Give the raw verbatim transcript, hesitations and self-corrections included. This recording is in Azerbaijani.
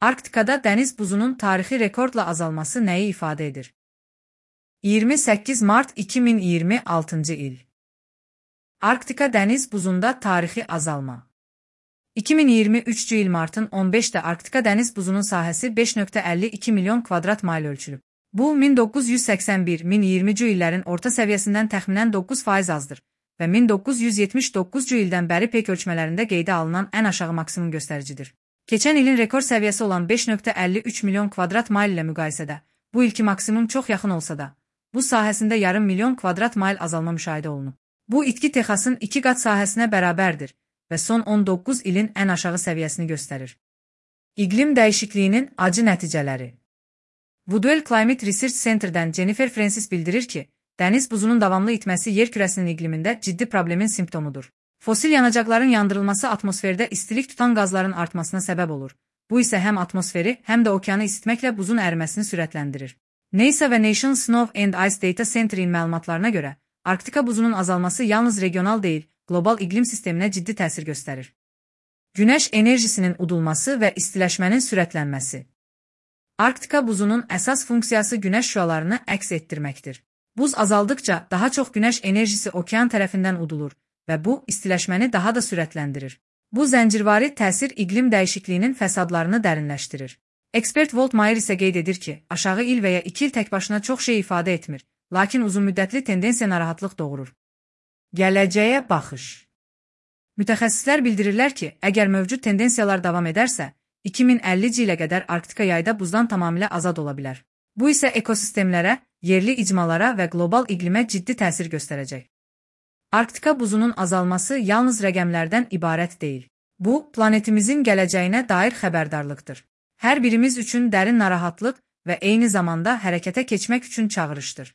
Arktikada dəniz buzunun tarixi rekordla azalması nəyi ifadə edir? iyirmi səkkiz mart iki min iyirmi altıncı il. Arktika dəniz buzunda tarixi azalma. iki min iyirmi üçüncü il martın on beşində Arktika dəniz buzunun sahəsi beş nöqtə əlli iki milyon kvadrat mayl ölçülüb. Bu, min doqquz yüz səksən bir min iyirminci illərin orta səviyyəsindən təxminən doqquz faiz azdır və min doqquz yüz yetmiş doqquzuncu ildən bəri pek ölçmələrində qeydə alınan ən aşağı maksimum göstəricidir. Keçən ilin rekord səviyyəsi olan beş nöqtə əlli üç milyon kvadrat mayl ilə müqayisədə, bu ilki maksimum çox yaxın olsa da, bu sahəsində yarım milyon kvadrat mayl azalma müşahidə olunub. Bu itki Texasın iki qat sahəsinə bərabərdir və son on doqquz ilin ən aşağı səviyyəsini göstərir. İqlim dəyişikliyinin acı nəticələri. Woodwell Climate Research Center'dən Jennifer Francis bildirir ki, dəniz buzunun davamlı itməsi yer kürəsinin iqlimində ciddi problemin simptomudur. Fosil yanacaqların yandırılması atmosferdə istilik tutan qazların artmasına səbəb olur. Bu isə həm atmosferi, həm də okeanı isitməklə buzun əriməsini sürətləndirir. NASA və National Snow and Ice Data Center'in məlumatlarına görə, Arktika buzunun azalması yalnız regional deyil, qlobal iqlim sisteminə ciddi təsir göstərir. Günəş enerjisinin udulması və istiləşmənin sürətlənməsi. Arktika buzunun əsas funksiyası günəş şüalarını əks etdirməkdir. Buz azaldıkca daha çox günəş enerjisi okean tərəfindən udulur və bu, istiləşməni daha da sürətləndirir. Bu zəncirvari təsir iqlim dəyişikliyinin fəsadlarını dərinləşdirir. Ekspert Walt Mayer isə qeyd edir ki, aşağı il və ya iki il təkbaşına çox şey ifadə etmir, lakin uzunmüddətli tendensiya narahatlıq doğurur. Gələcəyə baxış. Mütəxəssislər bildirirlər ki, əgər mövcud tendensiyalar davam edərsə, iki min əllinci ilə qədər Arktika yayda buzdan tamamilə azad ola bilər. Bu isə ekosistemlərə, yerli icmalara və qlobal iqlimə ciddi təsir göstərəcək. Arktika buzunun azalması yalnız rəqəmlərdən ibarət deyil. Bu, planetimizin gələcəyinə dair xəbərdarlıqdır. Hər birimiz üçün dərin narahatlıq və eyni zamanda hərəkətə keçmək üçün çağırışdır.